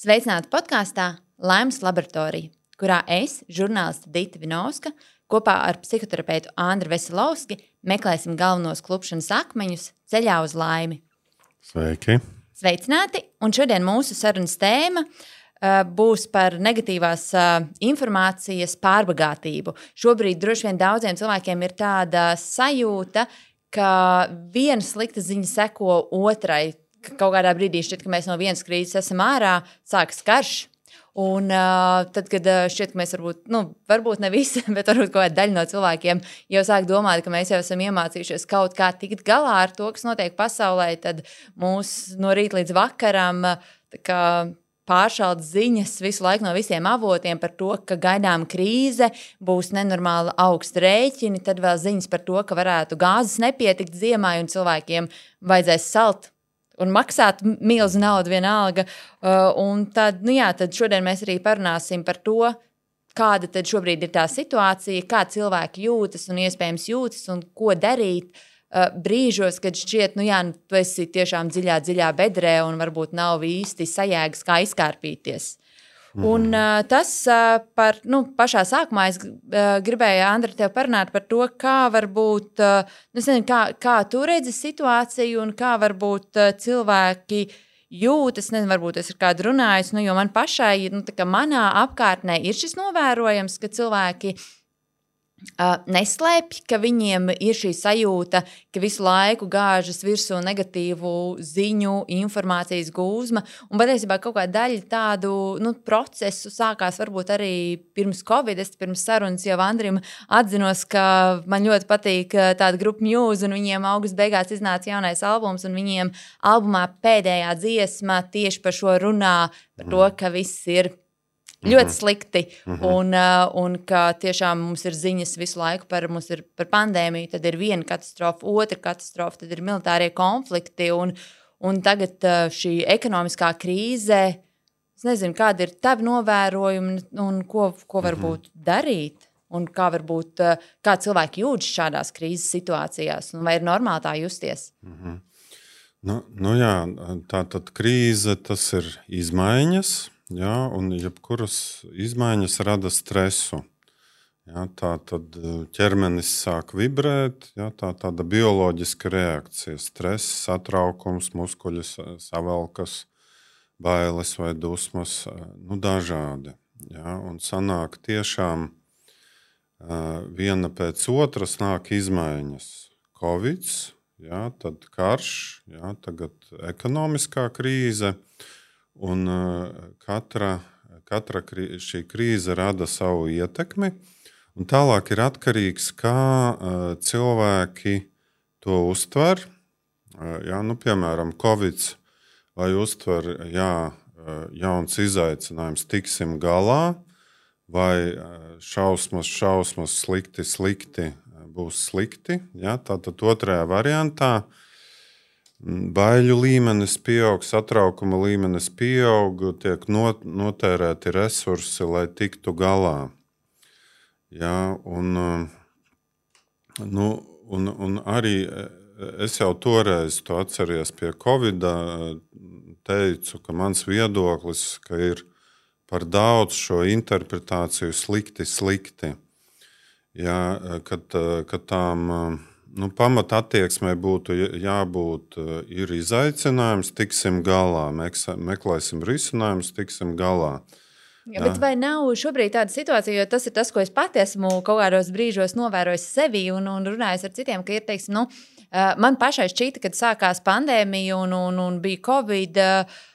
Sveicināti podkāstā Laimes laboratorija, kurā es, žurnāliste Dita Vinovska, kopā ar psihoterapeitu Andru Veselovski meklēsim galvenos klupšanas akmeņus ceļā uz laimi. Sveiki! Sveicināti! Un šodien mūsu sarunas tēma būs par negatīvās informācijas pārbagātību. Šobrīd droši vien daudziem cilvēkiem ir tāda sajūta, ka viena slikta ziņa seko otrai. Kaut kādā brīdī šķiet, ka mēs no vienas krīzes esam ārā, sākas karš. Un tad, kad šķiet, ka mēs varbūt ne visi, bet varbūt kaut kāda daļa no cilvēkiem jau sāk domāt, ka mēs jau esam iemācījušies kaut kā tikt galā ar to, kas notiek pasaulē, tad mūs no rīta līdz vakaram pāršaldas ziņas visu laiku no visiem avotiem par to, ka gaidām krīze, būs nenormāli augsti rēķini, tad vēl ziņas par to, ka varētu gāzes nepietikt ziemai un cilvēkiem vajadzēs salt un maksāt milzu naudu vienalga. Un tad šodien mēs arī parunāsim par to, kāda tad šobrīd ir tā situācija, kā cilvēki jūtas un iespējams jūtas un ko darīt brīžos, kad šķiet, tu esi tiešām dziļā bedrē un varbūt nav īsti sajēgas, kā izkārpīties. Un tas pašā sākumā es gribēju, Andra, tev parunāt par to, kā varbūt, kā tu redzi situāciju un kā varbūt cilvēki jūtas, varbūt es ar kādu runājus, jo man pašai, manā apkārtnē ir šis novērojams, ka cilvēki neslēpj, ka viņiem ir šī sajūta, ka visu laiku gāžas virsū negatīvu ziņu, informācijas gūzma, un patiesībā kaut kāda daļa tādu procesu sākās varbūt arī pirms Covid. Es pirms sarunas jau Andrim atzinos, ka man ļoti patīk tāda grupa Muse, un viņiem augusta beigās iznāca jaunais albums, un viņiem albumā pēdējā dziesma tieši par šo runā, par to, ka viss ir ļoti slikti, un ka tiešām mums ir ziņas visu laiku par pandēmiju, tad ir viena katastrofa, otra katastrofa, tad ir militārie konflikti, un tagad šī ekonomiskā krīze, es nezinu, kāda ir tavi novērojumi, un ko varbūt darīt, un kā cilvēki jūtas šādās krīzes situācijās, un vai ir normāli tā justies? Jā, tātad krīze, tas ir izmaiņas. Jā, un jebkuras izmaiņas rada stresu. Jā, tā tad ķermenis sāk vibrēt, jā, tāda bioloģiska reakcija. Stress, satraukums, muskuļi savelkas, bailes vai dusmas, dažādi. Jā, un sanāk tiešām viena pēc otras nāk izmaiņas. Covid, jā, tad karš, jā, tagad ekonomiskā krīze. Un katra šī krīze rada savu ietekmi, un tālāk ir atkarīgs, kā cilvēki to uztver. Jā, piemēram, Covid vai uztver, jauns izaicinājums, tiksim galā, vai šausmas, slikti būs slikti. Jā, tātad otrajā variantā baiļu līmenis pieaug, satraukuma līmenis pieaug, tiek notērēti resursi, lai tiktu galā. Jā, un arī es jau toreiz to atceries pie Covida, teicu, ka mans viedoklis, ka ir par daudz šo interpretāciju slikti. Jā, ka tām pamata attieksmei būtu jābūt ir izaicinājums, tiksim galā, meklēsim risinājumus, tiksim galā. Jā, bet vai nav šobrīd tāda situācija, jo tas ir tas, ko es pati esmu kaut kādos brīžos novērojis sevi un runājis ar citiem, ka ir, man pašai šķita, kad sākās pandēmija un bija Covid,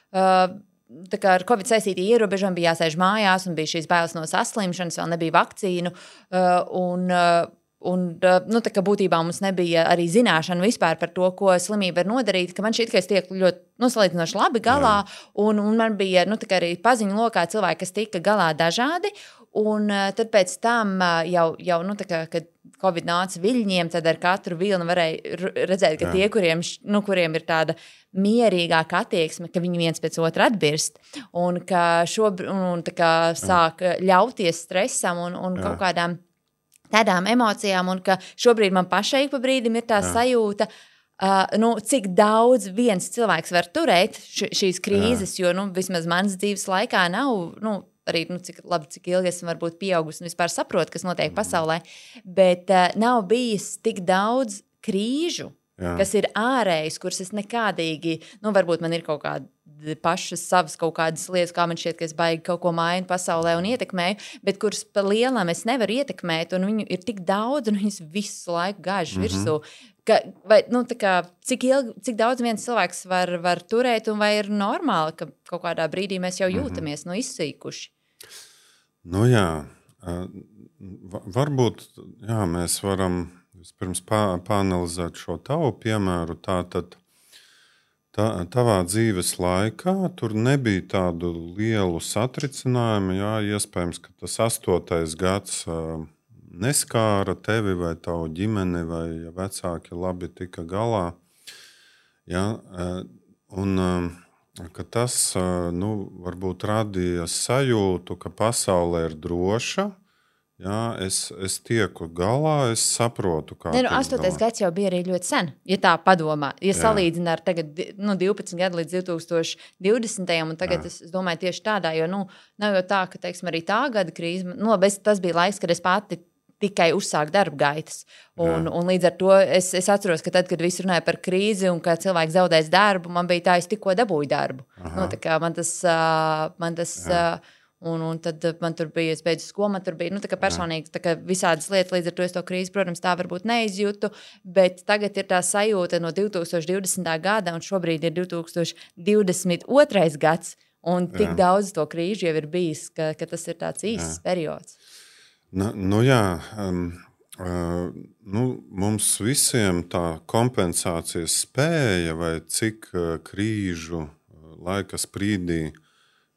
tā kā ar Covid saistīti ierobežojumi, bija jāsēž mājās un bija šīs bailes no saslimšanas, vēl nebija vakcīnu, un tā kā būtībā mums nebija arī zināšana vispār par to, ko slimība var nodarīt, ka man šķiet, ka es tiek ļoti salīdzinoši labi galā, un man bija tā kā arī paziņu lokā cilvēki, kas tika galā dažādi, un tad pēc tam jau tā kā, kad Covid nāca viļņiem, tad ar katru vilnu varēja redzēt, ka tie, kuriem ir tāda mierīgāka attieksme, ka viņi viens pēc otra atbirst, un ka tā kā sāk ļauties stresam un kaut kādām tādām emocijām, un ka šobrīd man pašai pa brīdim ir tā sajūta, cik daudz viens cilvēks var turēt šīs krīzes, jo vismaz manas dzīves laikā nav, arī cik ilgi esmu varbūt pieaugusi un vispār saprotu, kas notiek pasaulē, bet nav bijis tik daudz krīžu, kas ir ārējas, kuras es nekādīgi, varbūt man ir kaut kāda pašas savas kaut kādas lietas, kā man šķiet, ka es baigi kaut ko mainu pasaulē un ietekmēju, bet kuras pa lielam es nevaru ietekmēt, un viņu ir tik daudz, un viņas visu laiku gāž virsū. Cik daudz viens cilvēks var turēt, un vai ir normāli, ka kaut kādā brīdī mēs jau jūtamies izsīkuši? Varbūt mēs varam vispirms pāanalizēt šo tavu piemēru. Tātad tavā dzīves laikā tur nebija tādu lielu satricinājumu. Iespējams, ka tas 8. gads neskāra tevi vai tavu ģimeni, vai vecāki labi tika galā. Ka tas varbūt radīja sajūtu, ka pasaule ir droša. Es tieku galā, es saprotu, kā tiek 8. gads jau bija arī ļoti sen, ja tā padomā. Ja salīdzina ar tagad 12 gadu līdz 2020. Un tagad es domāju tieši tādā, jo nav jau tā, ka, teiksim, arī tā gada krīze, tas bija laiks, kad es pati tikai uzsāku darba gaitas. Un līdz ar to es atceros, ka tad, kad visi runāja par krīzi un ka cilvēks zaudēs darbu, man bija tā, es tikko dabūju darbu. Tā kā man tas un tad man tur bija, es beidzu skolu, man tur bija, tā kā personīgi, tā kā visādas lietas, līdz ar to es to krīzi, protams, tā varbūt neizjūtu, bet tagad ir tā sajūta no 2020. gada, un šobrīd ir 2022. gads, un tik daudz to krīžu jau ir bijis, ka tas ir tāds īsts periods. Mums visiem tā kompensācijas spēja vai cik krīžu laika sprīdī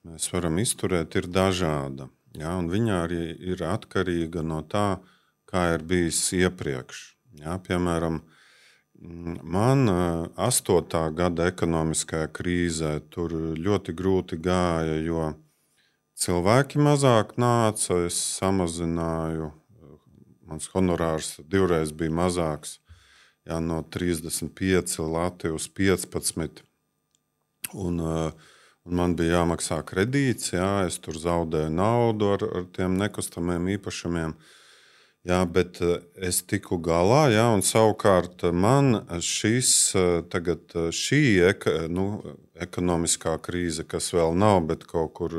mēs varam izturēt, ir dažāda. Un viņa arī ir atkarīga no tā, kā ir bijis iepriekš. Piemēram, man 8. gada ekonomiskajā krīzē tur ļoti grūti gāja, jo cilvēki mazāk nāca, es samazināju, mans honorārs divreiz bija mazāks, no 35 lati uz 15, un man bija jāmaksā kredīts, es tur zaudēju naudu ar tiem nekustamiem īpašumiem, bet es tiku galā, un savukārt man šī ekonomiskā krīze, kas vēl nav, bet kaut kur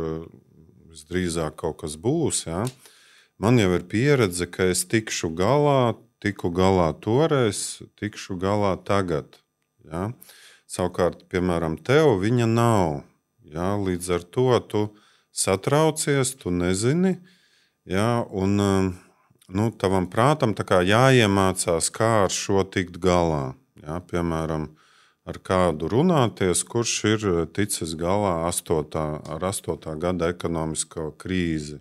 visdrīzāk kaut kas būs, man jau ir pieredze, ka es tiku galā toreiz, tikšu galā tagad. Savukārt, piemēram, tev viņa nav. Līdz ar to tu satraucies, tu nezini, un tavam prātam tā kā jāiemācās, kā ar šo tikt galā. Piemēram, ar kādu runāties, kurš ir ticis galā ar 8. gada ekonomisko krīzi.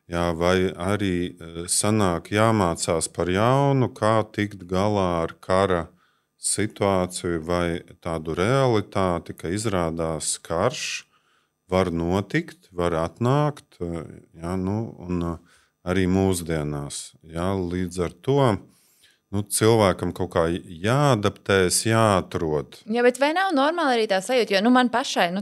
Vai arī sanāk jāmācās par jaunu, kā tikt galā ar kara situāciju vai tādu realitāti, ka izrādās karš var notikt, var atnākt, un arī mūsdienās. Līdz ar to cilvēkam kaut kā jāadaptējas, jāatrod. Bet vai nav normāli arī tā sajūta? Jo man pašai,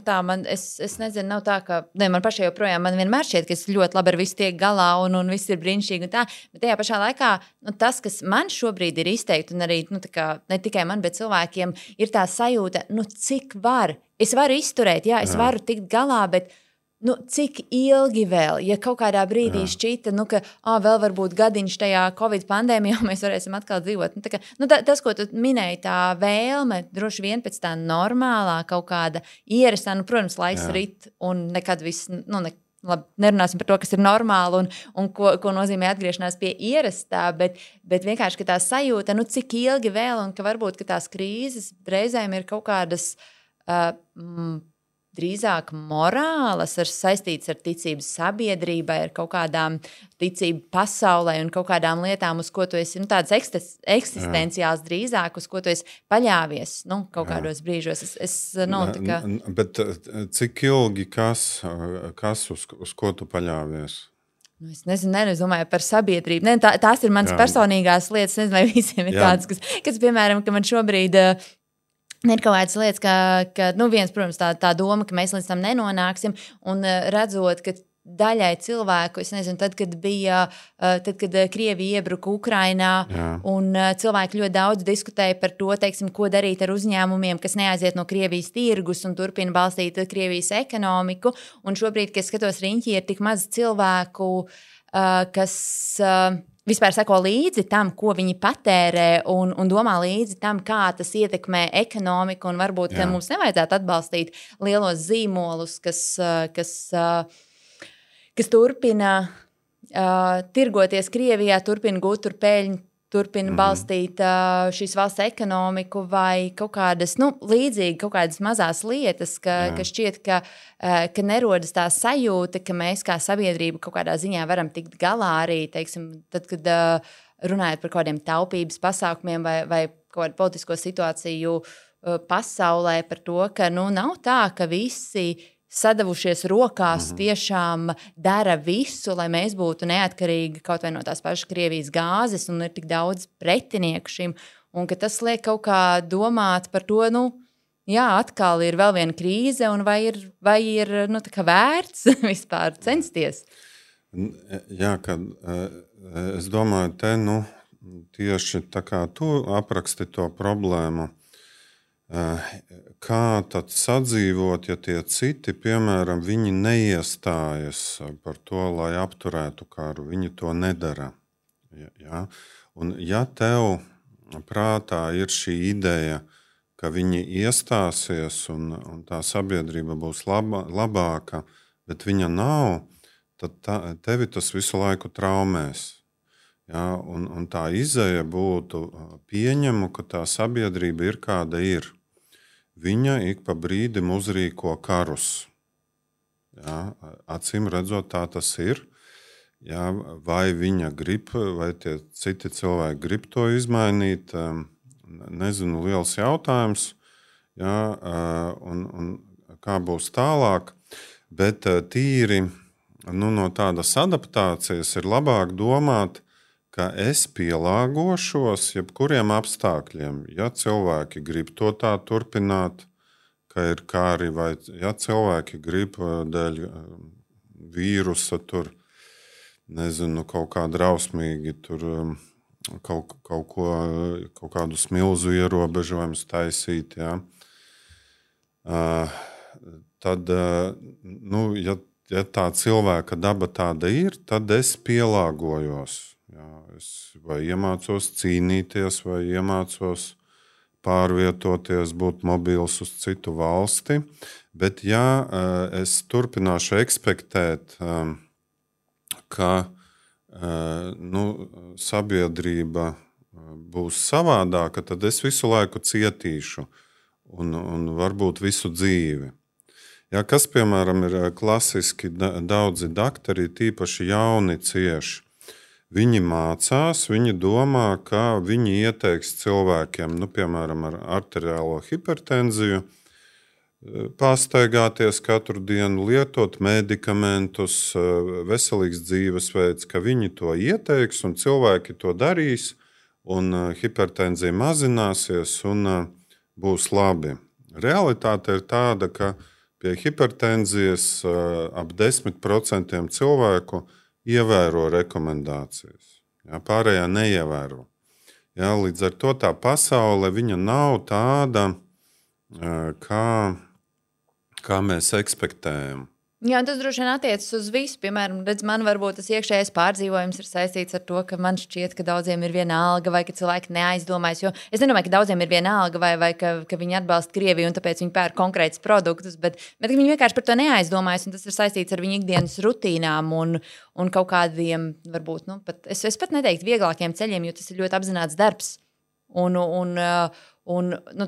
es nezinu, nav tā, ka man pašai joprojām man vienmēr šķiet, ka es ļoti labi ar visu tiek galā un viss ir brīnišķīgi un tā. Bet tajā pašā laikā tas, kas man šobrīd ir izteikti, un arī ne tikai man, bet cilvēkiem, ir tā sajūta, cik var. Es varu izturēt, es varu tikt galā, bet cik ilgi vēl, ja kaut kādā brīdī šķita, ka vēl varbūt gadiņš tajā Covid pandēmijā mēs varēsim atkal dzīvot. Tas, ko tu minēji, tā vēlme, droši vien pēc tā normālā kaut kāda ierastā, protams, laiks rit un nekad viss, labi, nerunāsim par to, kas ir normāli un ko nozīmē atgriešanās pie ierastā, bet vienkārši, ka tā sajūta, cik ilgi vēl un ka varbūt, ka tās krīzes reizēm ir kaut kādas drīzāk morālas, saistīts ar ticību sabiedrībai, ar kaut kādām ticību pasaulē un kaut kādām lietām, uz ko tu esi, tādas eksistenciāls drīzāk, uz ko tu esi paļāvies, kaut kādos brīžos. Bet cik ilgi, kas uz ko tu paļāvies? Es nezinu, es domāju par sabiedrību. Tās ir manas personīgās lietas. Nezinu, vai visiem ir tādas, kas piemēram, ka man šobrīd Ir kaut kādas lietas, ka viens, protams, tā doma, ka mēs līdz tam nenonāksim, un redzot, ka daļai cilvēku, es nezinu, tad, kad Krievija iebruka Ukrainā, un cilvēki ļoti daudz diskutēja par to, teiksim, ko darīt ar uzņēmumiem, kas neaiziet no Krievijas tirgus un turpina balstīt Krievijas ekonomiku. Un šobrīd, kad es skatos riņķī, ir tik maz cilvēku, kas vispār seko līdzi tam, ko viņi patērē, un domā līdzi tam, kā tas ietekmē ekonomiku, un varbūt, ka mums nevajadzētu atbalstīt lielos zīmolus, kas turpina tirgoties Krievijā, turpina gūt tur peļņu, turpina balstīt šīs valsts ekonomiku vai kaut kādas, līdzīgi kaut kādas mazās lietas, ka šķiet, ka nerodas tā sajūta, ka mēs kā sabiedrība kaut kādā ziņā varam tikt galā arī, teiksim, tad, kad runājot par kādiem taupības pasākumiem vai kaut kādu politisko situāciju pasaulē par to, ka nav tā, ka visi sadavušies rokās tiešām dara visu, lai mēs būtu neatkarīgi kaut vai no tās pašas Krievijas gāzes, un ir tik daudz pretinieku šim, un ka tas liek kaut kā domāt par to, atkal ir vēl viena krīze, un vai ir tā kā vērts vispār censties? Jā, kad es domāju, te tieši tā kā tu apraksti to problēmu, kā tad sadzīvot, ja tie citi, piemēram, viņi neiestājas par to, lai apturētu karu, viņi to nedara. Ja? Un ja tev prātā ir šī ideja, ka viņi iestāsies un tā sabiedrība būs labāka, bet viņa nav, tad tevi tas visu laiku traumēs. Ja? Un tā izeja būtu pieņemu, ka tā sabiedrība ir kāda ir. Viņa ik pa brīdim uzrīko karus. Ja, acīm redzot, tā tas ir. Ja, vai viņa grib, vai tie citi cilvēki grib to izmainīt, nezinu, liels jautājums. Ja, un kā būs tālāk. Bet tīri no tādas adaptācijas ir labāk domāt, ka es pielāgošos jebkuriem apstākļiem. Ja cilvēki grib to tā turpināt, ka ir kari, vai ja cilvēki grib dēļ vīrusa tur, nezinu, kaut kā drausmīgi tur kaut kādus milzu ierobežojumus taisīt, ja. Tad, ja tā cilvēka daba tāda ir, tad es pielāgojos. Jā, es vai iemācos cīnīties, vai iemācos pārvietoties, būt mobils uz citu valsti. Bet ja es turpināšu ekspektēt, ka sabiedrība būs savādāka, tad es visu laiku cietīšu un varbūt visu dzīvi. Ja, kas, piemēram, ir klasiski daudzi daktori, tīpaši jauni cieši. Viņi mācās, viņi domā, ka viņi ieteiks cilvēkiem, piemēram, ar arteriālo hipertenziju, pastaigāties katru dienu, lietot medikamentus, veselīgs dzīvesveids, ka viņi to ieteiks un cilvēki to darīs, un hipertenzija mazināsies un būs labi. Realitāte ir tāda, ka pie hipertenzijas ap 10% cilvēku ievēro rekomendācijas. Ja, pārējā neievēro. Ja, līdz ar to tā pasaule viņa nav tāda, kā mēs ekspektējam. Jā, tas droši vien attiecas uz visu. Piemēram, man varbūt tas iekšējais pārdzīvojums ir saistīts ar to, ka man šķiet, ka daudziem ir viena alga, vai ka cilvēki neaizdomājas. Jo es nedomāju, ka daudziem ir viena alga, vai ka viņi atbalsta Krieviju un tāpēc viņi pērk konkrētus produktus, bet viņi vienkārši par to neaizdomājas, un tas ir saistīts ar viņu ikdienas rutīnām un kaut kādiem, varbūt, es pat neteiktu vieglākiem ceļiem, jo tas ir ļoti apzināts darbs.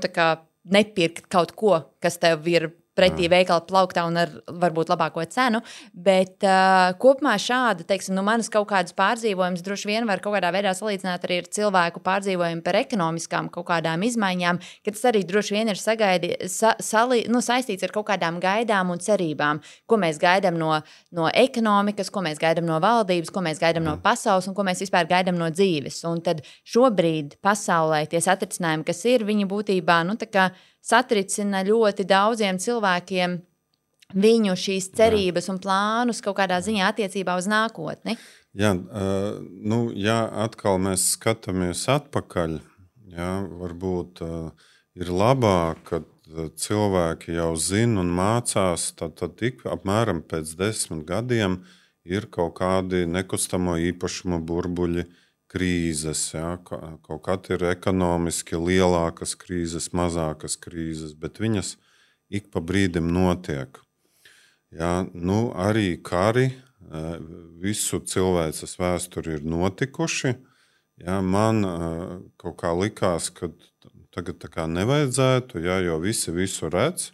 Tā kā nepirkt kaut ko, kas tev ir pretī veikala plauktā un ar varbūt labāko cenu, bet kopumā šāda, teiksim, manas kaut kādas pārdzīvojumus droši vien var kaut kādā veidā salīdzināt arī ar cilvēku pārdzīvojumu par ekonomiskām kaut kādām izmaiņām, ka tas arī droši vien ir saistīts ar kaut kādām gaidām un cerībām, ko mēs gaidām no ekonomikas, ko mēs gaidām no valdības, ko mēs gaidām no pasaules un ko mēs vispār gaidām no dzīves. Un tad šobrīd pasaulē tie satricinājumi, kas ir, viņi būtībā, tā kā satricina ļoti daudziem cilvēkiem viņu šīs cerības un plānus kaut kādā ziņā attiecībā uz nākotni. Jā, ja atkal mēs skatāmies atpakaļ, jā, varbūt ir labāk, kad cilvēki jau zina un mācās, tad tik apmēram pēc 10 gadiem ir kaut kādi nekustamo īpašumu burbuļi, krīzes. Jā, kaut kad ir ekonomiski lielākas krīzes, mazākas krīzes, bet viņas ik pa brīdim notiek. Jā, arī kari visu cilvēces vēsturi ir notikuši. Jā, man kaut kā likās, ka tagad tā kā nevajadzētu, jā, jo visi visu redz,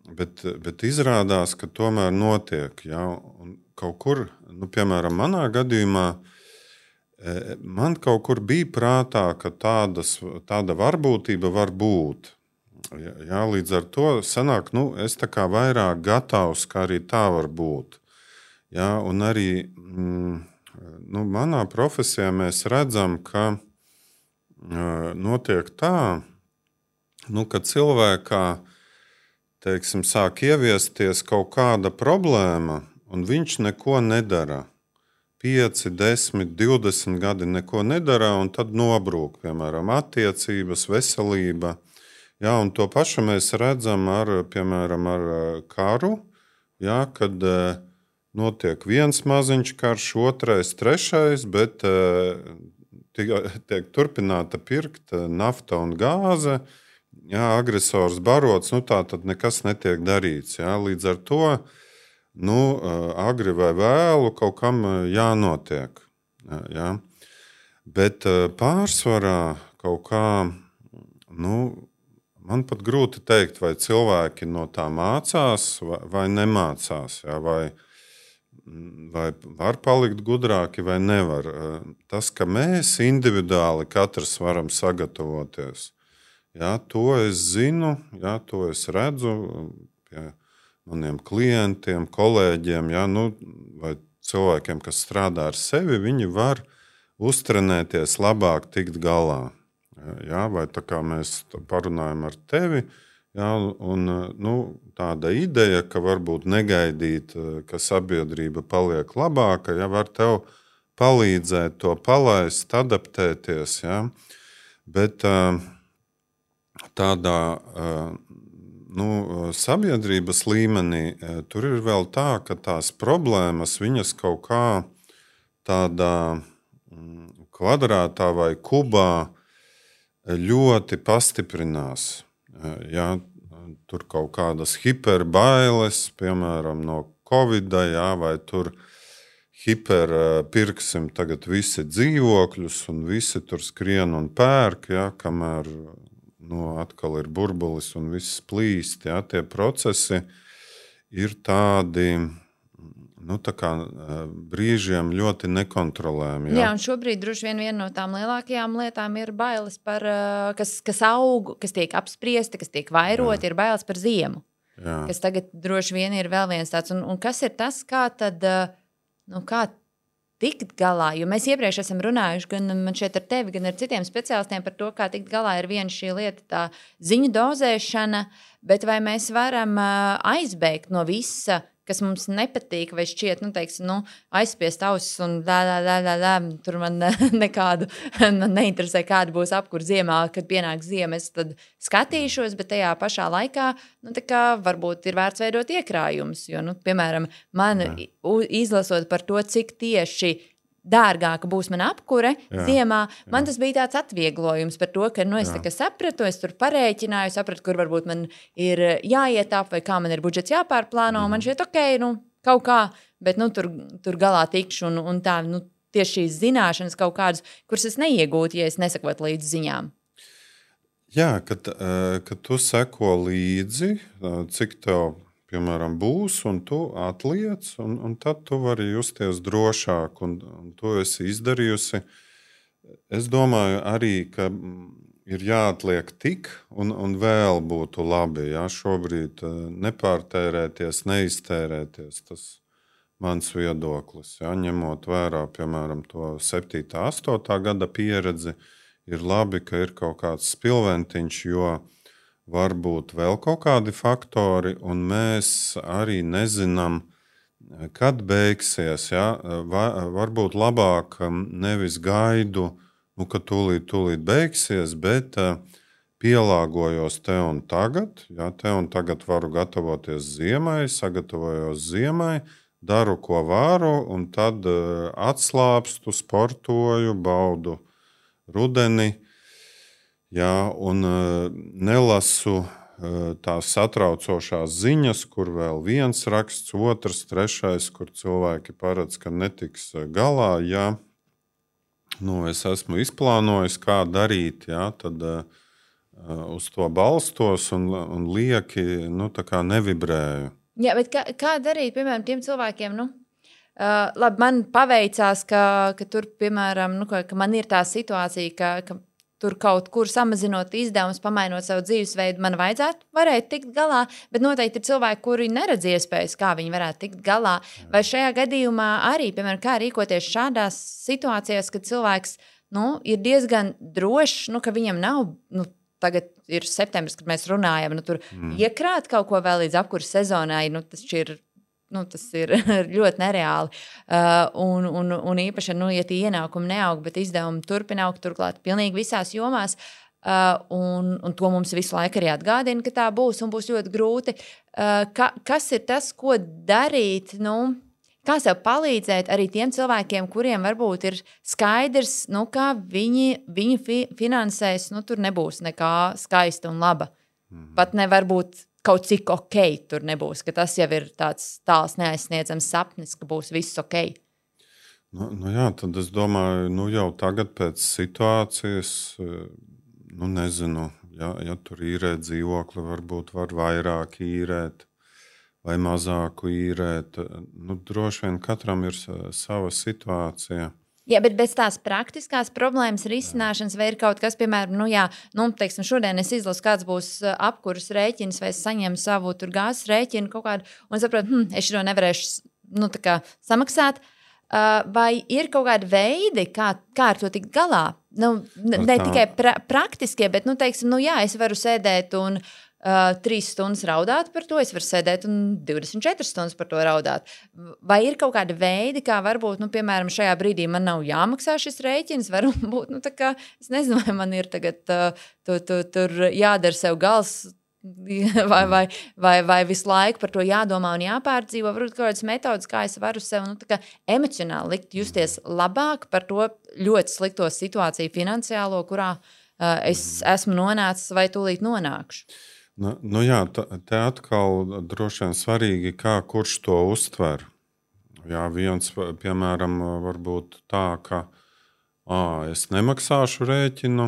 bet izrādās, ka tomēr notiek. Jā, un kaut kur, piemēram, manā gadījumā, man kaut kur bija prātā, ka tāda varbūtība var būt. Jā, līdz ar to sanāk, es tā kā vairāk gatavs, ka arī tā var būt. Jā, un arī manā profesijā mēs redzam, ka notiek tā, ka cilvēkā, teiksim, sāk ieviesties kaut kāda problēma, un viņš neko nedara. 5, 10, 20 gadi neko nedara, un tad nobrūk, piemēram, attiecības, veselība. Jā, un to pašu mēs redzam piemēram, ar karu, jā, kad notiek viens maziņš karš, otrais, trešais, bet tiek turpināta pirkt nafta un gāze, jā, agresors barots, tā tad nekas netiek darīts. Jā, līdz ar to agri vai vēlu kaut kam jānotiek. Jā. Bet pārsvarā kaut kā, man pat grūti teikt, vai cilvēki no tā mācās vai nemācās, jā, vai var palikt gudrāki vai nevar. Tas, ka mēs individuāli katrs varam sagatavoties, jā, to es zinu, jā, to es redzu pie maniem klientiem, kolēģiem, jā, vai cilvēkiem, kas strādā ar sevi, viņi var uztrenēties labāk tikt galā. Jā, vai tā kā mēs parunājam ar tevi, jā, un tāda ideja, ka varbūt negaidīt, ka sabiedrība paliek labāka, ja var tev palīdzēt to palaist, adaptēties. Jā. Bet tādā sabiedrības līmenī tur ir vēl tā, ka tās problēmas viņas kaut kā tādā kvadrātā vai kubā ļoti pastiprinās. Jā, tur kaut kādas hiperbailes, piemēram, no Covida, jā, vai tur pirksim tagad visi dzīvokļus un visi tur skrien un pērk, jā, kamēr atkal ir burbulis un viss plīst. Jā, tie procesi ir tādi, tā kā brīžiem ļoti nekontrolējami. Jā, un šobrīd droši vien viena no tām lielākajām lietām ir bailes par, kas aug, kas tiek apspriesti, kas tiek vairoti, ir bailes par ziemu. Jā. Kas tagad droši vien ir vēl viens tāds. Un kas ir tas, kā tad, kā tikt galā? Jo mēs iepriekš esam runājuši gan man šeit ar tevi, gan ar citiem speciālistiem par to, kā tikt galā ir viena šī lieta, tā ziņu dozēšana, bet vai mēs varam aizbēgt no visa, kas mums nepatīk, vai šķiet, aizspiest ausis un tur man nekādu, man neinteresē, kāda būs apkur ziemā, kad pienāk ziema, es tad skatīšos, bet tajā pašā laikā, tā kā varbūt ir vērts veidot iekrājumus, jo, piemēram, man izlasot par to, cik tieši dārgāka būs mana apkure ziemā, man tas bija tāds atvieglojums par to, ka es tā kā sapratu, es tur parēķināju, sapratu, kur varbūt man ir jāietap vai kā man ir budžets jāpārplāno, un man šķiet, kaut kā, bet tur galā tikšu un tā, tieši šīs zināšanas kaut kādas, kuras es neiegūtu, ja es nesakotu līdz ziņām. Jā, kad tu seko līdzi, cik tev piemēram, būs, un tu atliec, un tad tu vari justies drošāk, un to esi izdarījusi. Es domāju arī, ka ir jāatliek tik, un vēl būtu labi, jā, šobrīd nepārtērēties, neiztērēties. Tas mans viedoklis, jā, ņemot vērā, piemēram, to 7. 8. gada pieredzi, ir labi, ka ir kaut kāds spilventiņš, jo varbūt vēl kaut kādi faktori, un mēs arī nezinām, kad beigsies. Ja? Varbūt labāk nevis gaidu, ka tūlīt beigsies, bet pielāgojos te un tagad. Ja? Te un tagad varu gatavoties ziemai, sagatavojos ziemai, daru, ko varu, un tad atslāpstu, sportoju, baudu rudeni. Jā, un nelasu tās satraucošās ziņas, kur vēl viens raksts, otrs, trešais, kur cilvēki paredz, ka netiks galā. Ja es esmu izplānojis, kā darīt, ja, tad uz to balstos un lieki nevibrēju. Jā, bet kā darīt, piemēram, tiem cilvēkiem? Labi, man paveicās, ka tur, piemēram, ka man ir tā situācija, ka tur kaut kur samazinot izdevumus, pamainot savu dzīvesveidu, man varētu tikt galā, bet noteikti ir cilvēki, kuri neredz iespējas, kā viņi varētu tikt galā. Vai šajā gadījumā arī, piemēram, kā rīkoties šādās situācijās, kad cilvēks ir diezgan drošs, ka viņam nav, tagad ir septembris, kad mēs runājam, tur iekrāt kaut ko vēl līdz apkurss sezonai, tas ir ļoti nereāli. Un īpaši, ja tie ienākumi neaug, bet izdevumi turpina augt, turklāt pilnīgi visās jomās. Un to mums visu laiku arī atgādina, ka tā būs un būs ļoti grūti. Kas ir tas, ko darīt? Kā sev palīdzēt arī tiem cilvēkiem, kuriem varbūt ir skaidrs, kā viņi finansēs, tur nebūs nekā skaista un laba. Pat nevar būt kaut cik ok tur nebūs, ka tas jau ir tāds tāls neaizsniedzams sapnis, ka būs viss ok. Jā, tad es domāju, jau tagad pēc situācijas, nezinu, ja tur īrēt dzīvokli, varbūt var vairāk īrēt vai mazāku īrēt. Droši vien katram ir sava situācija. Jā, bet bez tās praktiskās problēmas risināšanas vai ir kaut kas, piemēram, teiksim, šodien es izlasu, kāds būs apkuras rēķins vai es saņemu savu gāzes rēķinu kaut kādu un saprotu, es šo nevarēšu samaksāt. Vai ir kaut kādi veidi, kā ar to tikt galā? Ne tikai praktiskie, bet, teiksim, es varu sēdēt un 3 stundas raudāt par to, es varu sēdēt un 24 stundas par to raudāt. Vai ir kaut kādi veidi, kā varbūt, piemēram, šajā brīdī man nav jāmaksā šis rēķins, varbūt, es nezinu, vai man ir tagad tur jādara sev gals, vai visu laiku par to jādomā un jāpārdzīvo, varbūt kaut kādas metodas, kā es varu sev emocionāli likt justies labāk par to ļoti slikto situāciju finansiālo, kurā es esmu nonācis vai tūlīt nonākšu. Jā, te atkal droši vien svarīgi, kā kurš to uztver. Jā, viens, piemēram, varbūt tā, ka es nemaksāšu rēķinu,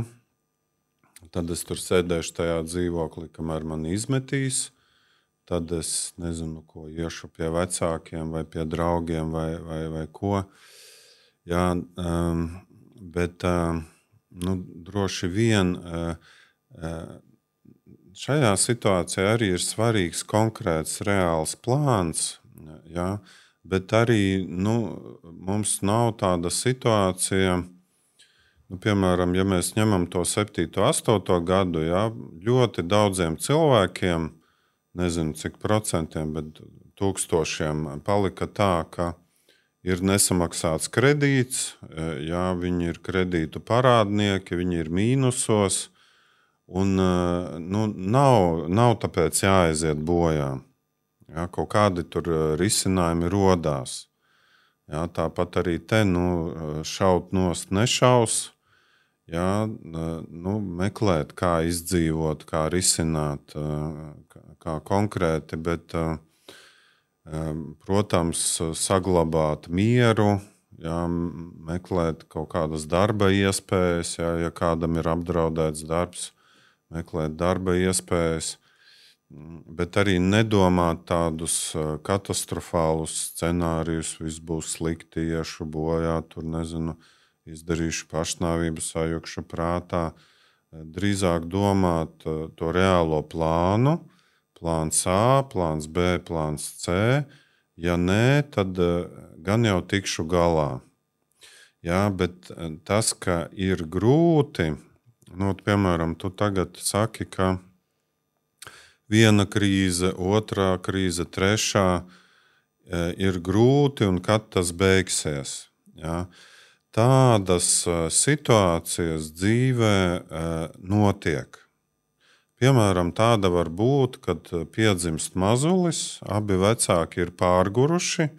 tad es tur sēdēšu tajā dzīvoklī, kamēr man izmetīs, tad es nezinu, ko iešu pie vecākiem vai pie draugiem vai ko. Jā, bet droši vien šajā situācijā arī ir svarīgs konkrēts reāls plāns, ja, bet arī mums nav tāda situācija, piemēram, ja mēs ņemam to 7. 8. gadu, ja, ļoti daudziem cilvēkiem, nezinu cik procentiem, bet tūkstošiem palika tā, ka ir nesamaksāts kredīts, ja, viņi ir kredītu parādnieki, viņi ir mīnusos, un nav tāpēc jāaiziet bojā. Ja, kaut kādi tur risinājumi rodās. Ja, tāpat arī te šaut nost nešaus. Ja, meklēt, kā izdzīvot, kā risināt, kā konkrēti, bet, protams, saglabāt mieru, ja, meklēt kaut kādas darba iespējas, ja kādam ir apdraudēts darbs, meklēt darba iespējas, bet arī nedomāt tādus katastrofālus scenārijus, viss būs slikti, iešu bojā, tur nezinu, izdarīšu pašnāvību, sajukšu prātā. Drīzāk domāt to reālo plānu, plāns A, plāns B, plāns C. Ja nē, tad gan jau tikšu galā. Jā, bet tas, ka ir grūti, piemēram, tu tagad saki, ka viena krīze, otrā krīze, trešā ir grūti un kad tas beigsies. Ja? Tādas situācijas dzīvē notiek. Piemēram, tāda var būt, kad piedzimst mazulis, abi vecāki ir pārguruši,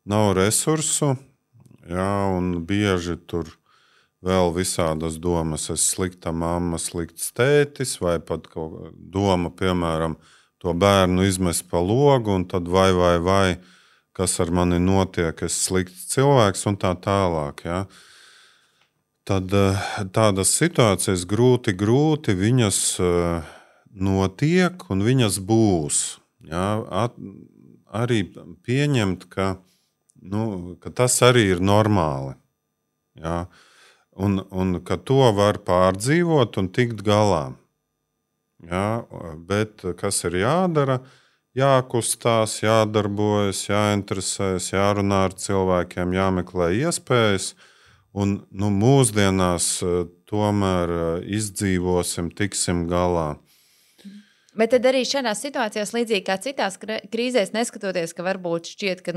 nav resursu, ja, un bieži tur vēl visādas domas, es slikta mamma, slikts tētis, vai pat doma, piemēram, to bērnu izmest pa logu, un tad vai, kas ar mani notiek, es slikts cilvēks un tā tālāk. Ja. Tad tādas situācijas grūti, viņas notiek un viņas būs. Ja. Arī pieņemt, ka tas arī ir normāli. Ja. Un ka to var pārdzīvot un tikt galā. Ja, bet kas ir jādara? Jākustās, jādarbojas, jāinteresējas, jārunā ar cilvēkiem, jāmeklē iespējas. Un mūsdienās tomēr izdzīvosim, tiksim galā. Bet tad arī šādās situācijās, līdzīgi kā citās krīzēs, neskatoties, ka varbūt šķiet, ka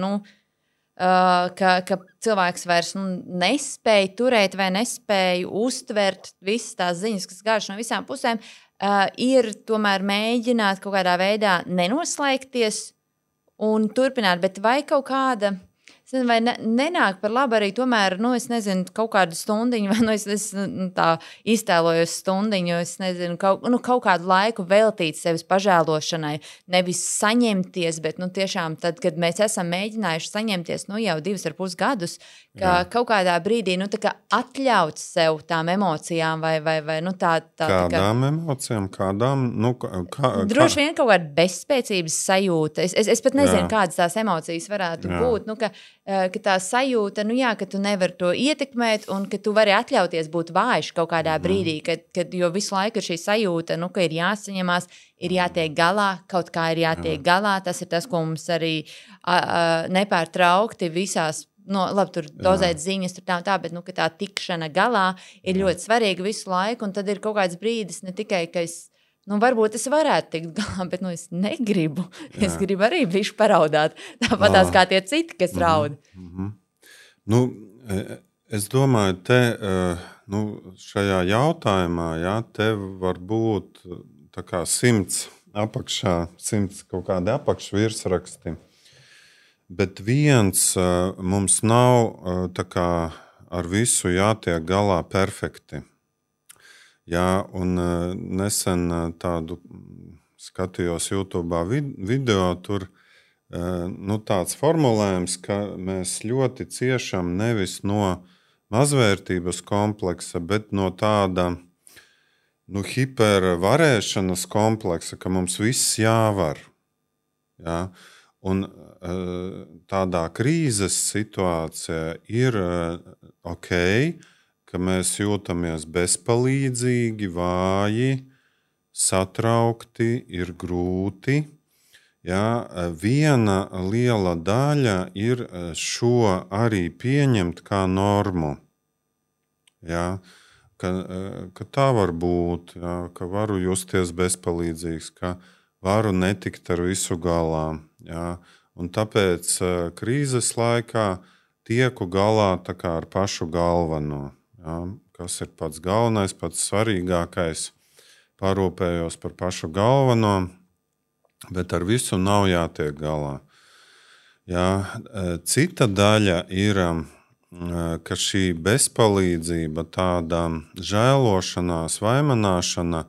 cilvēks vairs nespēja turēt vai nespēja uztvert visas tās ziņas, kas gāž no visām pusēm, ir tomēr mēģināt kaut kādā veidā nenoslēgties un turpināt. Bet vai kaut kāda, vai nenāk par labu arī tomēr, es nezinu, kaut kādu stundiņu, vai es tā iztēlojos stundiņu, es nezinu, kaut kādu laiku veltīt sevis pažēlošanai, nevis saņemties, bet tiešām tad, kad mēs esam mēģinājuši saņemties jau 2,5 gadus, ka kaut kādā brīdī atļaut sev tām emocijām vai tā. Kādām emocijām? Kādām? Droši vien kaut kāda bezspēcības sajūta. Es pat nezinu, kādas tās emocijas varētu būt. Ka tā sajūta, ka tu nevari to ietekmēt un ka tu vari atļauties būt vājš kaut kādā brīdī, jo visu laiku ir šī sajūta, ka ir jāsaņemās, ir jātiek galā, kaut kā ir jātiek galā. Tas ir tas, ko mums arī nepārtraukti visās, labi, tur dozēt ziņas, tur tā, bet ka tā tikšana galā ir ļoti svarīga visu laiku, un tad ir kaut kāds brīdis, ne tikai, ka es varbūt es varētu tikt galā, bet es negribu. Jā. Es gribu arī bišķi paraudāt. Tāpatās kā tie citi, kas raud. Es domāju, te šajā jautājumā, te var būt tā kā 100 apakšā, 100 kaut kādi apakšvirsraksti. Bet viens mums nav tā kā ar visu jātiek galā perfekti. Jā, un nesen tādu skatījos YouTube video, tur tāds formulējums, ka mēs ļoti ciešam nevis no mazvērtības kompleksa, bet no tāda hipervarēšanas kompleksa, ka mums viss jāvar. Jā. Un tādā krīzes situācijā ir ok, ka mēs jūtamies bezpalīdzīgi, vāji, satraukti, ir grūti. Ja, viena liela daļa ir šo arī pieņemt kā normu. Ja, ka tā var būt, ja, ka varu justies bezpalīdzīgs, ka varu netikt ar visu galā. Ja, un tāpēc krīzes laikā tieku galā tā kā ar pašu galveno. Ja, kas ir pats galvenais, pats svarīgākais, parūpējos par pašu galveno, bet ar visu nav jātiek galā. Ja, cita daļa ir, ka šī bezpalīdzība, tāda žēlošanās, vaimanāšana,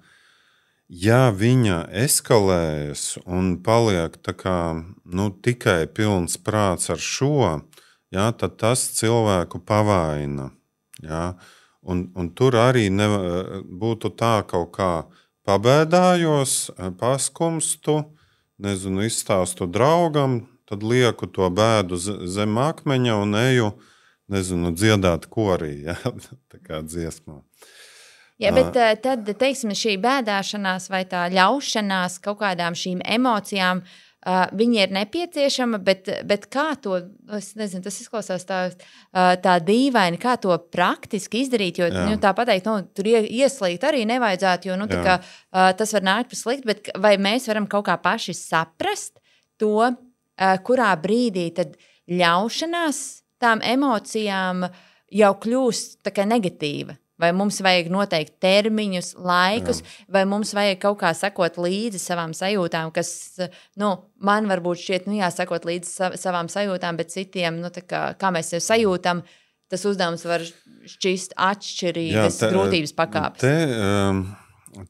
ja viņa eskalējas un paliek tā kā, tikai pilns prāts ar šo, ja, tad tas cilvēku pavaina. Ja? Un tur arī būtu tā kaut kā pabēdājos, paskumstu, izstāstu draugam, tad lieku to bēdu zem akmeņa un eju, dziedāt korī, ja? Tā kā dziesmā. Jā, bet tad, teiksim, šī bēdāšanās vai tā ļaušanās kaut kādām šīm emocijām Viņi ir nepieciešama, bet kā to, es nezinu, tas izklausās tā dīvaini, kā to praktiski izdarīt, jo tā pateikt, tur ieslīgt arī nevajadzētu, jo kā, tas var nākt par sliktu, bet vai mēs varam kaut kā paši saprast to, kurā brīdī tad ļaušanās tām emocijām jau kļūst tā kā negatīva? Vai mums vajag noteikti termiņus, laikus, vai mums vajag kaut kā sekot līdzi savām sajūtām, kas, man varbūt šķiet, jāsekot līdzi savām sajūtām, bet citiem, kā mēs sev sajūtam, tas uzdevums var šķist atšķirīgas grūtības pakāpes.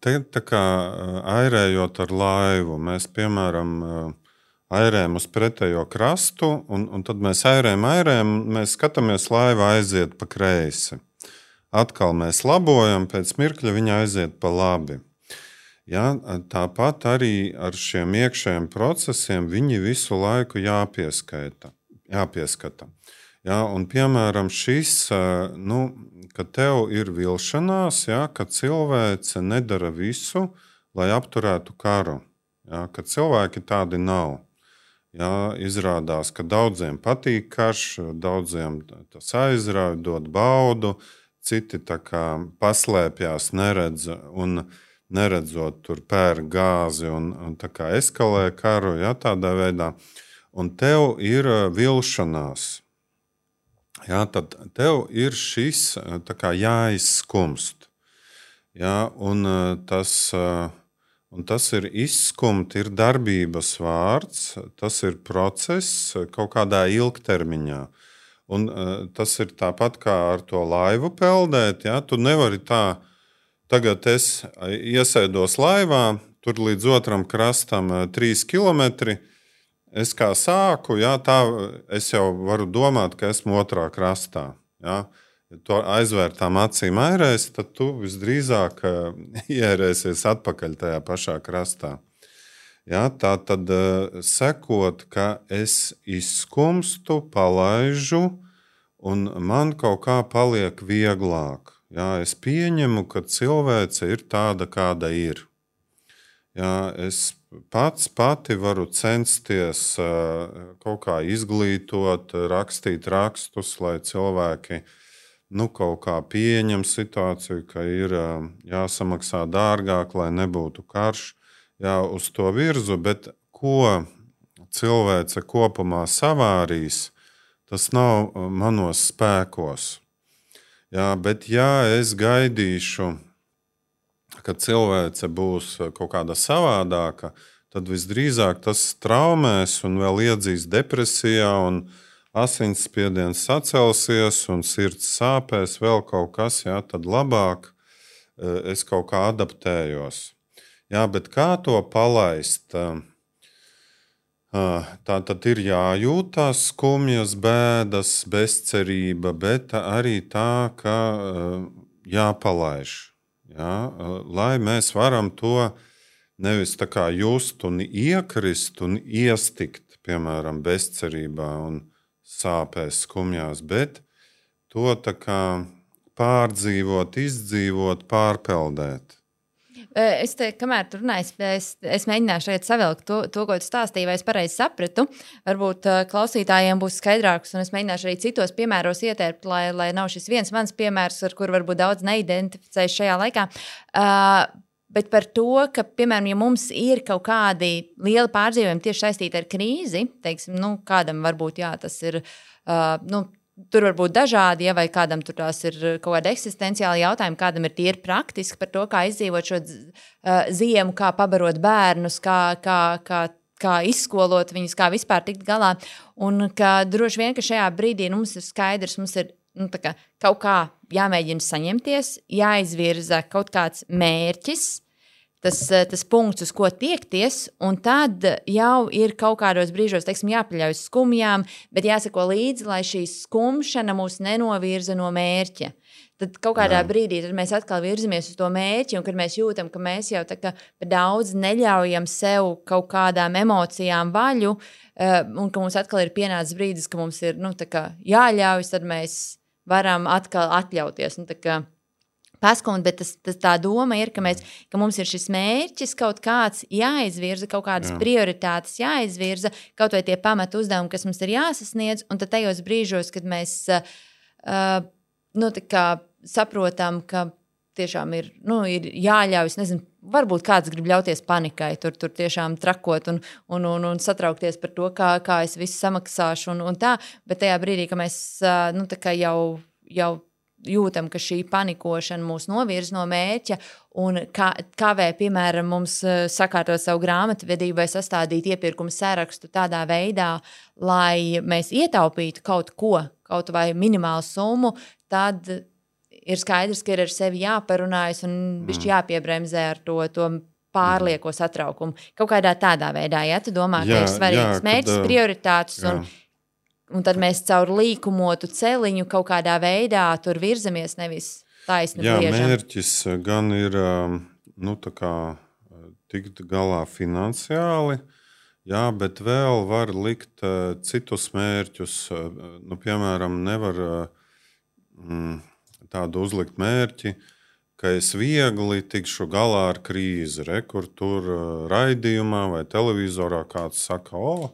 Te tā kā airējot ar laivu, mēs, piemēram, airējam uz pretējo krastu, un tad mēs airējam, mēs skatāmies, laiva aiziet pa kreisi. Atkal mēs labojam, pēc mirkļa viņa aiziet pa labi. Ja, tāpat arī ar šiem iekšējiem procesiem viņi visu laiku jāpieskata. Ja, un, piemēram, šis, ka tev ir vilšanās, ja, ka cilvēce nedara visu, lai apturētu karu. Ja, ka cilvēki tādi nav. Ja, izrādās, ka daudziem patīk karš, daudziem tas aizrauj, dod baudu, citi tā kā paslēpjās, neredz un neredzot tur pērk gāzi un tā kā eskalē karu, ja, tādā veidā. Un tev ir vilšanās. Ja, tad tev ir šis tā kā jāizskumst. Ja, un tas ir izskumt, ir darbības vārds, tas ir process kaut kādā ilgtermiņā. Un tas ir tāpat kā ar to laivu peldēt. Ja? Tu nevari tā, tagad es iesēdos laivā, tur līdz otram krastam 3 kilometri. Es kā sāku, ja, tā es jau varu domāt, ka esmu otrā krastā. Ja? Ja tu aizvērtām acīm airēsi, tad tu visdrīzāk ierēsies atpakaļ tajā pašā krastā. Ja, tā tad sekot, ka es izskumstu, palaižu, un man kaut kā paliek vieglāk. Ja, es pieņemu, ka cilvēce ir tāda, kāda ir. Ja, es pati varu censties kaut kā izglītot, rakstīt rakstus, lai cilvēki kaut kā pieņem situāciju, ka ir jāsamaksā dārgāk, lai nebūtu karš. Jā, uz to virzu, bet ko cilvēce kopumā savārīs, tas nav manos spēkos. Jā, bet ja es gaidīšu, ka cilvēce būs kaut kāda savādāka, tad visdrīzāk tas traumēs un vēl iedzīs depresijā un asinsspiediens sacelsies un sirds sāpēs, vēl kaut kas, jā, tad labāk es kaut kā adaptējos. Jā, bet kā to palaist? Tā tad ir jājūtās skumjas, bēdas, bezcerība, bet arī tā, ka jāpalaiž. Jā, lai mēs varam to nevis tā kā just un iekrist un iestikt, piemēram, bezcerībā un sāpēs, skumjās, bet to tā kā pārdzīvot, izdzīvot, pārpeldēt. Es te, kamēr tu runāji, es mēģināšu šeit savilkt to, ko tu stāstīji, vai es pareizi sapratu. Varbūt klausītājiem būs skaidrāks, un es mēģināšu arī citos piemēros ietērpt, lai nav šis viens mans piemērs, ar kuru varbūt daudz neidentificēs šajā laikā. Bet par to, ka, piemēram, ja mums ir kaut kādi lieli pārdzīvojumi tieši saistīti ar krīzi, teiksim, kādam varbūt, jā, tas ir, tur var būt dažādi, ja, vai kādam tur tās ir kaut kāda eksistenciāla jautājuma, kādam ir tīri praktiski par to, kā izdzīvot šo ziemu, kā pabarot bērnus, kā izskolot viņus, kā vispār tikt galā. Un ka droši vien, ka šajā brīdī mums ir skaidrs, mums ir kaut kā jāmēģina saņemties, jāizvirza kaut kāds mērķis, tas punkts, uz ko tiekties, un tad jau ir kaut kādos brīžos, teiksim, jāpaļaujas skumjām, bet jāsako līdzi, lai šī skumšana mūs nenovirza no mērķa. Tad kaut kādā brīdī tad mēs atkal virzamies uz to mērķi, un kad mēs jūtam, ka mēs jau tā kā daudz neļaujam sev kaut kādām emocijām vaļu, un ka mums atkal ir pienācis brīdis, ka mums ir tā kā jāļaujas, tad mēs varam atkal atļauties. Tā kā paskumt, bet tā doma ir, ka mums ir šis mērķis kaut kāds jāizvirza, kaut kādas prioritātes jāizvirza, kaut vai tie pamatu uzdevumi, kas mums ir jāsasniedz, un tad tajos brīžos, kad mēs saprotam, ka tiešām ir jāļauj, nezinu, varbūt kāds grib ļauties panikai, tur tiešām trakot un satraukties par to, kā es visu samaksāšu un tā, bet tajā brīdī, ka mēs jau jūtam, ka šī panikošana mūs novirza no mērķa un kavē, piemēram, mums sakārtot savu grāmatvedību vai sastādīt iepirkumu sarakstu tādā veidā, lai mēs ietaupītu kaut vai minimālu summu, tad ir skaidrs, ka ir ar sevi jāparunājas un bišķi jāpiebremzē ar to pārlieko satraukumu. Kaut kādā tādā veidā, ja tu domā, ka ir svarīgs mērķis, prioritātes un tad mēs caur līkumotu celiņu kaut kādā veidā tur virzamies, nevis taisni griežam. Mērķis gan ir tikt galā finansiāli, bet vēl var likt citus mērķus. Piemēram, nevar tādu uzlikt mērķi, ka es viegli tikšu galā ar krīzi, kur tur raidījumā vai televizorā kāds saka,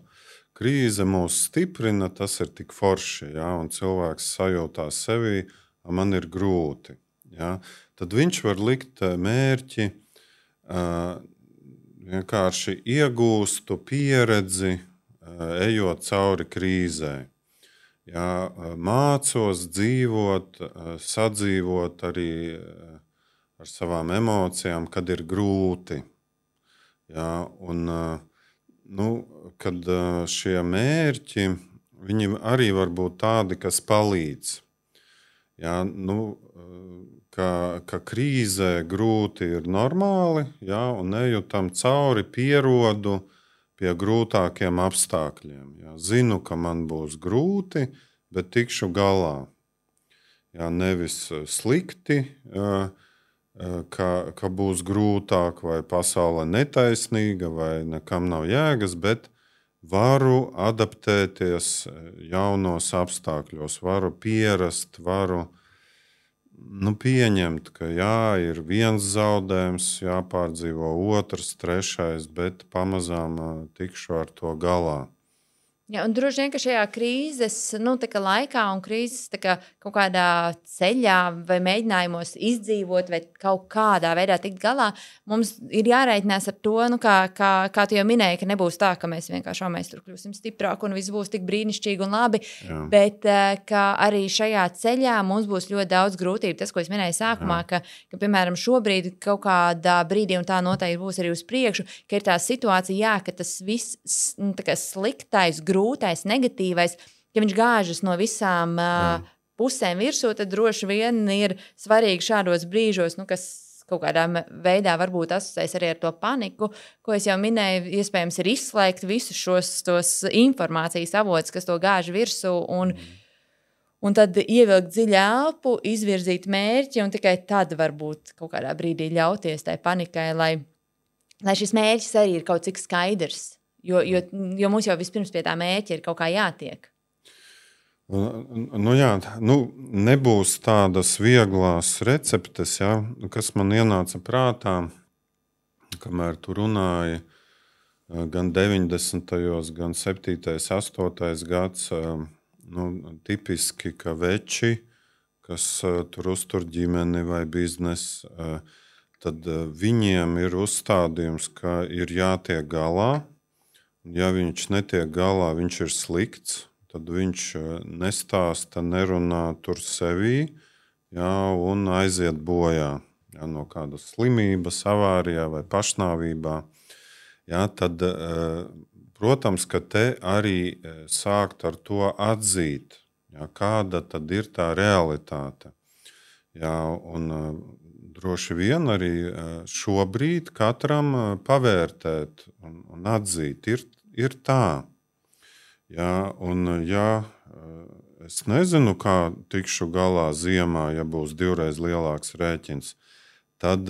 krīze mūs stiprina, tas ir tik forši, un cilvēks sajūtās sevi, man ir grūti. Tad viņš var likt mērķi, vienkārši iegūstu pieredzi, ejot cauri krīzē. Mācos dzīvot, sadzīvot arī ar savām emocijām, kad ir grūti. Kad šie mērķi, viņi arī var būt tādi, kas palīdz. Ka krīzē grūti ir normāli, un eju tam cauri, pierodu pie grūtākiem apstākļiem. Zinu, ka man būs grūti, bet tikšu galā. Nevis slikti, ka būs grūtāk vai pasaule netaisnīga vai nekam nav jēgas, bet varu adaptēties jaunos apstākļos, varu pierast, varu pieņemt, ka ir viens zaudējums, jāpārdzīvo otrs, trešais, bet pamazām tikšu ar to galā. Un droši vien, ka šajā krīzes laikā un krīzes kaut kādā ceļā vai mēģinājumos izdzīvot vai kaut kādā veidā tikt galā, mums ir jārēķinās ar to, kā tu jau minēji, ka nebūs tā, ka mēs vienkārši mēs tur kļūsim stiprāki un viss būs tik brīnišķīgi un labi, bet ka arī šajā ceļā mums būs ļoti daudz grūtību. Tas, ko es minēju sākumā, ka piemēram, šobrīd kaut kādā brīdī, un tā noteikti būs arī uz priekšu, ka ir tā situācija, ka tas viss sliktais, grūtais, negatīvais, ja viņš gāžas no visām pusēm virsū, tad droši vien ir svarīgi šādos brīžos, kas kaut kādā veidā varbūt asociēs arī ar to paniku, ko es jau minēju, iespējams ir izslēgt visus tos informācijas avotus, kas to gāž virsū, un tad ievilkt dziļu elpu, izvirzīt mērķi, un tikai tad varbūt kaut kādā brīdī ļauties tai panikai, lai šis mērķis arī ir kaut cik skaidrs. Jo mums jau vispirms pie tā mērķa ir kaut kā jātiek. Nebūs tādas vieglas receptes, kas man ienāca prātā, kamēr tu runāji gan 90. gan 7. 8. gads, tipiski, ka veči, kas tur uztur ģimeni vai biznesu, tad viņiem ir uzstādījums, ka ir jātiek galā. Ja viņš netiek galā, viņš ir slikts, tad viņš nestāsta, nerunā tur sevī, un aiziet bojā no kādas slimības, avārijā vai pašnāvībā. Tad, protams, ka te arī sākt ar to atzīt, kāda tad ir tā realitāte. Un droši vien arī šobrīd katram pavērtēt un atzīt, ir tā. Es nezinu, kā tikšu galā ziemā, ja būs 2x lielāks rēķins, tad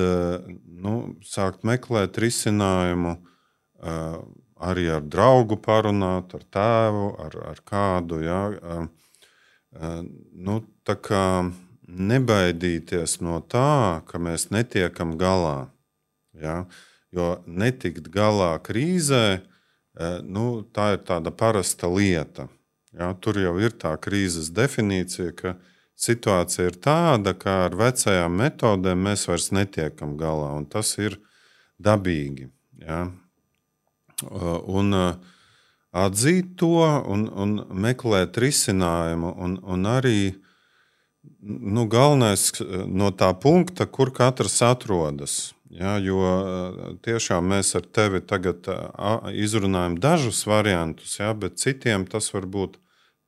sākt meklēt risinājumu, arī ar draugu parunāt, ar tēvu, ar kādu. Tā kā nebaidīties no tā, ka mēs netiekam galā. Ja? Jo netikt galā krīzē, tā ir tāda parasta lieta. Ja? Tur jau ir tā krīzes definīcija, ka situācija ir tāda, ka ar vecajām metodēm mēs vairs netiekam galā, un tas ir dabīgi. Ja? Un atzīt to un meklēt risinājumu, un arī galvenais no tā punkta, kur katrs atrodas. Ja, jo tiešām mēs ar tevi tagad izrunājam dažus variantus, ja, bet citiem tas varbūt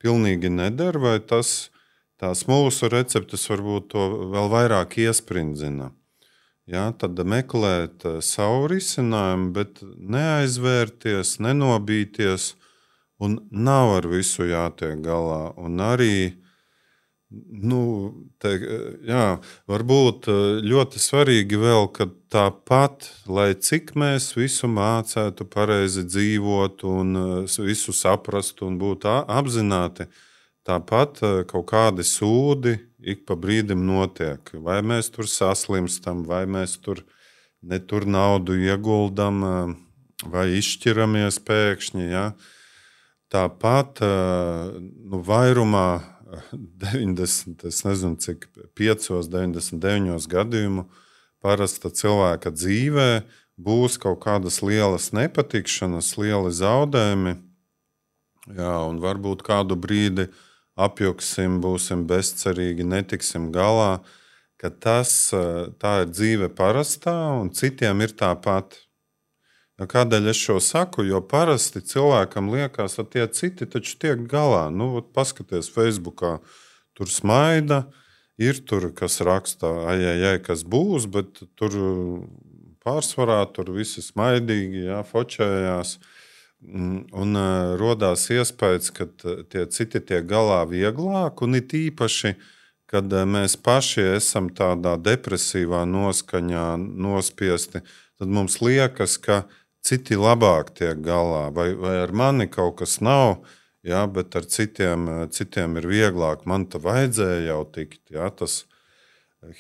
pilnīgi neder, vai tās mūsu receptes varbūt to vēl vairāk iesprindzina. Ja, tad meklēt savu risinājumu, bet neaizvērties, nenobīties, un nav ar visu jātiek galā. Un arī varbūt ļoti svarīgi vēl, ka tāpat, lai cik mēs visu mācētu pareizi dzīvot un visu saprastu un būtu apzināti, tāpat kaut kādi sūdi ik pa brīdim notiek. Vai mēs tur saslimstam, vai mēs tur naudu ieguldam, vai izšķiramies pēkšņi. Ja? Tāpat vairumā 99 gadījumu parasta cilvēka dzīvē būs kaut kādas lielas nepatikšanas, lieli zaudējumi, jā, un varbūt kādu brīdi apjuksim, būsim bezcerīgi, netiksim galā, ka tā ir dzīve parastā un citiem ir tāpat. Kādēļ es šo saku? Jo parasti cilvēkam liekas, ka tie citi taču tiek galā. Paskaties Facebookā, tur smaida, ir tur, kas raksta, kas būs, bet tur pārsvarā tur visi smaidīgi, jā, fočējās. Un rodās iespējas, ka tie citi tiek galā vieglāk, un it īpaši, kad mēs paši esam tādā depresīvā noskaņā nospiesti, tad mums liekas, ka citi labāk tiek galā, vai ar mani kaut kas nav, jā, bet ar citiem ir vieglāk. Man te vajadzēja jau tikt, jā, tas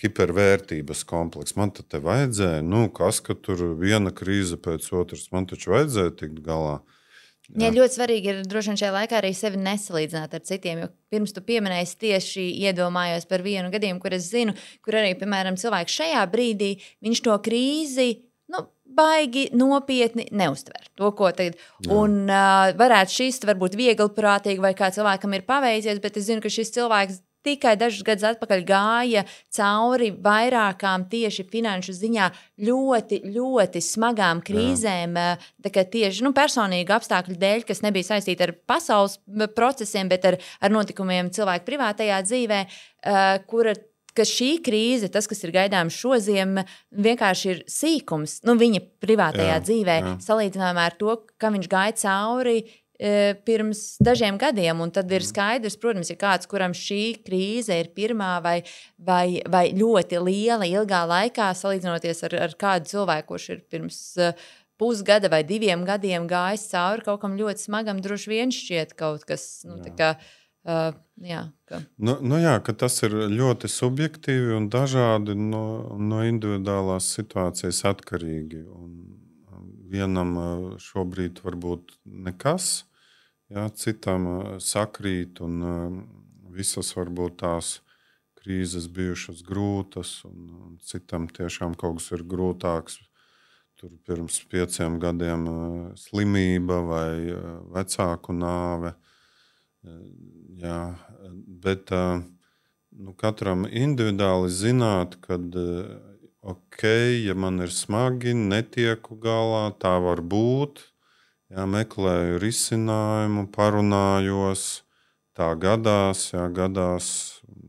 hipervērtības kompleks. Man te vajadzēja, kas, ka tur viena krīze pēc otras, man taču vajadzēja tikt galā. Jā, ļoti svarīgi ir droši vien šajā laikā arī sevi nesalīdzināt ar citiem, jo pirms tu pieminēji tieši iedomājos par vienu gadījumu, kur es zinu, kur arī, piemēram, cilvēks šajā brīdī, viņš to krīzi, baigi nopietni neuztver to, ko tagad. Un varētu šis varbūt viegliprātīgi vai kā cilvēkam ir paveicies, bet es zinu, ka šis cilvēks tikai dažus gadus atpakaļ gāja cauri vairākām tieši finanšu ziņā ļoti, ļoti smagām krīzēm, tieši personīgu apstākļu dēļ, kas nebija saistīti ar pasaules procesiem, bet ar notikumiem cilvēku privātajā dzīvē, ka šī krīze, tas, kas ir gaidāms šoziem, vienkārši ir sīkums viņa privātajā dzīvē, salīdzinājumā ar to, ka viņš gāja cauri pirms dažiem gadiem. Un tad ir skaidrs, protams, ja kāds, kuram šī krīze ir pirmā vai ļoti liela, ilgā laikā, salīdzinoties ar kādu cilvēku, kurš ir pirms pusgada vai 2 gadiem gājis cauri kaut kam ļoti smagam, droši vien šķiet kaut kas, ka tas ir ļoti subjektīvi un dažādi no individuālās situācijas atkarīgi. Un vienam šobrīd varbūt nekas, citam sakrīt, un visas varbūt tās krīzes bijušas grūtas, un citam tiešām kaut kas ir grūtāks. Tur pirms 5 gadiem slimība vai vecāku nāve. Jā, bet katram individuāli zināt, kad ja man ir smagi, netieku galā, tā var būt. Jā, meklēju risinājumu, parunājos, tā gadās,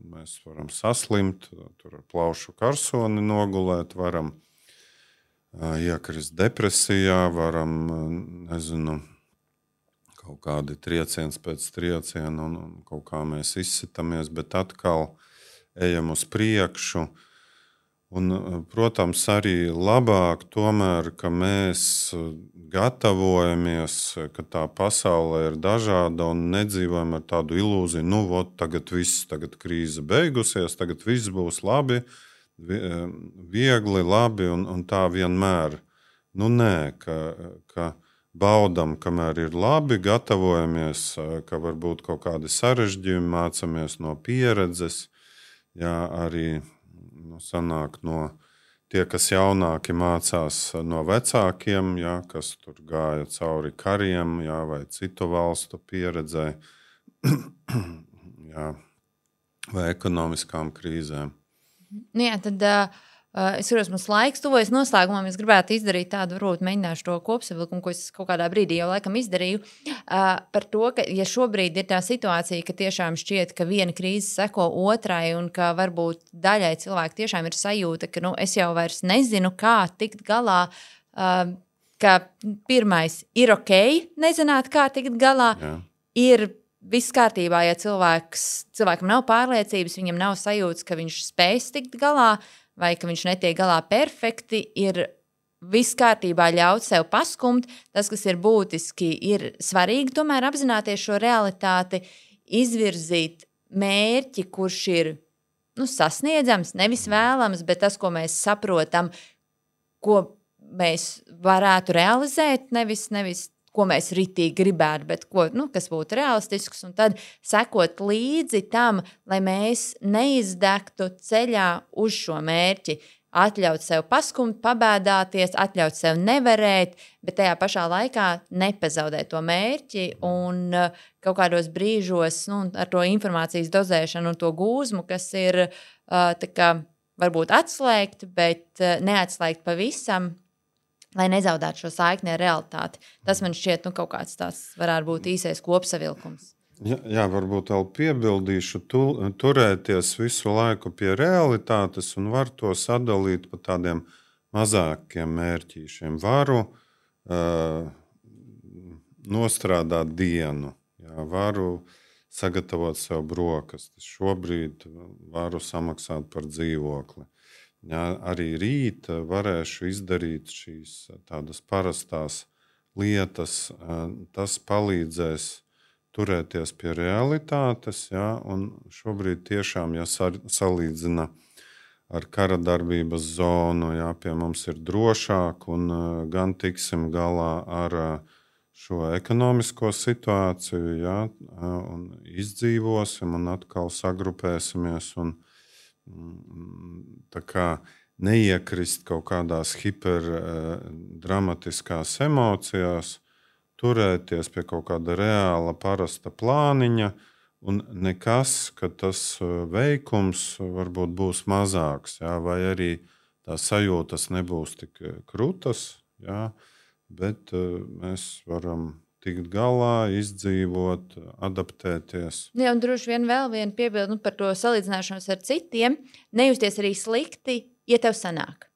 mēs varam saslimt, tur ar plaušu karsoni nogulēt, varam iekrist depresijā, varam, kaut kādi trieciens pēc trieciena un kaut kā mēs izsitamies, bet atkal ejam uz priekšu. Un, protams, arī labāk tomēr, ka mēs gatavojamies, ka tā pasaule ir dažāda un nedzīvojam ar tādu ilūziju, nu, vot, tagad krīze beigusies, tagad viss būs labi, viegli, labi un tā vienmēr. Nu, nē, ka baudam, kamēr ir labi, gatavojamies, ka varbūt kaut kādi sarežģījumi, mācamies no pieredzes, jā, arī sanāk no tie, kas jaunāki mācās no vecākiem, jā, kas tur gāja cauri kariem, jā, vai citu valstu pieredzē, jā, vai ekonomiskām krīzēm. Jā, tad es saprotu, mums laiks tuvojas noslēgumam. Es gribētu izdarīt tādu, varbūt mēģināšu to kopsavilkumu, ko es kaut kādā brīdī jau laikam izdarīju, par to, ka ja šobrīd ir tā situācija, ka tiešām šķiet, ka viena krīze seko otrai un ka varbūt daļai cilvēki tiešām ir sajūta, ka es jau vairs nezinu, kā tikt galā, ka pirmais ir ok, nezināt, kā tikt galā, ir viss kārtībā, ja cilvēkam nav pārliecības, viņam nav sajūtas, ka viņš spēs tikt galā, vai ka viņš netiek galā perfekti, ir viss kārtībā ļaut sev paskumt. Tas, kas ir būtiski, ir svarīgi tomēr apzināties šo realitāti, izvirzīt mērķi, kurš ir sasniedzams, nevis vēlams, bet tas, ko mēs saprotam, ko mēs varētu realizēt, nevis ko mēs ritīgi gribētu, bet kas būtu realistisks, un tad sekot līdzi tam, lai mēs neizdegtu ceļā uz šo mērķi, atļaut sev paskumt, pabēdāties, atļaut sev nevarēt, bet tajā pašā laikā nepazaudēt to mērķi un kaut kādos brīžos ar to informācijas dozēšanu un to gūzmu, kas ir varbūt atslēgt, bet neatslēgt pavisam, lai nezaudētu šo saikni ar realitāti. Tas man šķiet, kaut kāds tāds varētu būt īsais kopsavilkums. Jā, varbūt vēl piebildīšu, turēties visu laiku pie realitātes un var to sadalīt pa tādiem mazākiem mērķīšiem. Varu nostrādāt dienu, jā, varu sagatavot sev brokastis, šobrīd varu samaksāt par dzīvokli. Jā, arī rīt varēšu izdarīt šīs tādas parastās lietas. Tas palīdzēs turēties pie realitātes. Jā, un šobrīd tiešām, ja salīdzina ar kara darbības zonu, jā, pie mums ir drošāk un gan tiksim galā ar šo ekonomisko situāciju, jā, un izdzīvosim un atkal sagrupēsimies un tā kā neiekrist kaut kādās hiperdramatiskās emocijās, turēties pie kaut kāda reāla, parasta plāniņa, un nekas, ka tas veikums varbūt būs mazāks, jā, vai arī tās sajūtas nebūs tik krutas, jā, bet mēs varam tikt galā, izdzīvot, adaptēties. Jā, un droši vien vēl viena piebilde par to salīdzināšanos ar citiem. Nejusties arī slikti, ja tev sanāk.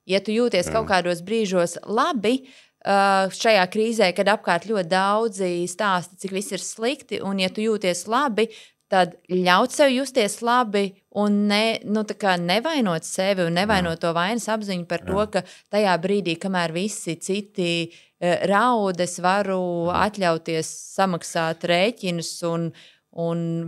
Ja tu jūties kaut kādos brīžos labi, šajā krīzē, kad apkārt ļoti daudzi stāsta, cik viss ir slikti, un ja tu jūties labi, tad ļaut sev justies labi un nevainot sevi un nevainot to vainas apziņu par to, ka tajā brīdī, kamēr visi citi raud, es varu atļauties samaksāt rēķinus un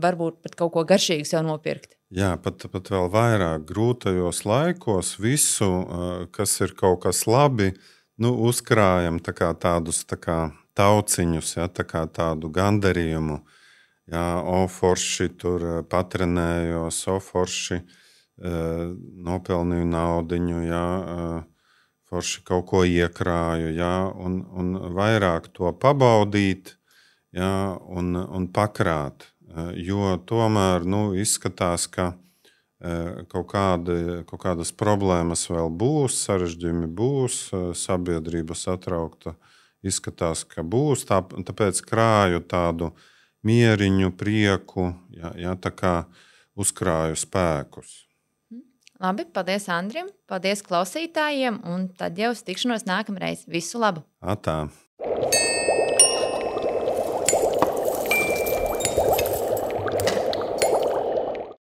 varbūt pat kaut ko garšīgu sev nopirkt. Jā, pat vēl vairāk grūtajos laikos visu, kas ir kaut kas labi, uzkrājam tādus tauciņus, ja, tādu gandarījumu. Jā, forši tur patrenējos, forši nopelnīju naudiņu, jā, forši kaut ko iekrāju, jā, un vairāk to pabaudīt, jā, un pakrāt. Jo tomēr izskatās, ka kaut kādas problēmas vēl būs, sarežģījumi būs, sabiedrība satraukta izskatās, ka būs. Tāpēc krāju tādu mieriņu, prieku, jā, tā kā uzkrāju spēkus. Labi, paldies Andrim, paldies klausītājiem, un tad jau uz tikšanos nākamreiz. Visu labu! Atā!